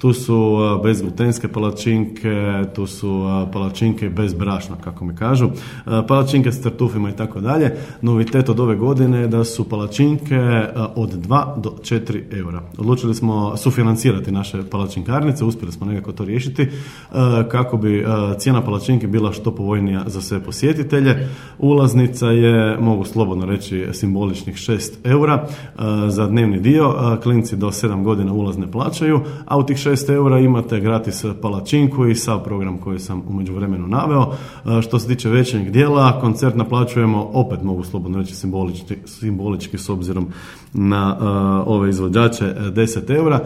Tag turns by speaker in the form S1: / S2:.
S1: Tu su bezglutenske palačinke, tu su palačinke bez brašna, kako mi kažu, palačinke s tartufima i tako dalje. Novitet od ove godine je da su palačinke od 2 do 4 eura. Odlučili smo sufinancirati naše palačinkarnice, uspjeli smo nekako to riješiti kako bi cijena palačinke bila što povoljnija za sve posjetitelje. Ulaznica je, mogu slobodno reći, simboličnih 6 eura za dnevni dio. Klinci do 7 godina ulaz ne plaćaju, a u tih 6 eura imate gratis palačinku i sav program koji sam u međuvremenu naveo. Što se tiče večernjeg dijela, koncert naplaćujemo, opet mogu slobodno reći simbolički s obzirom na ove izvođače, 10 eura.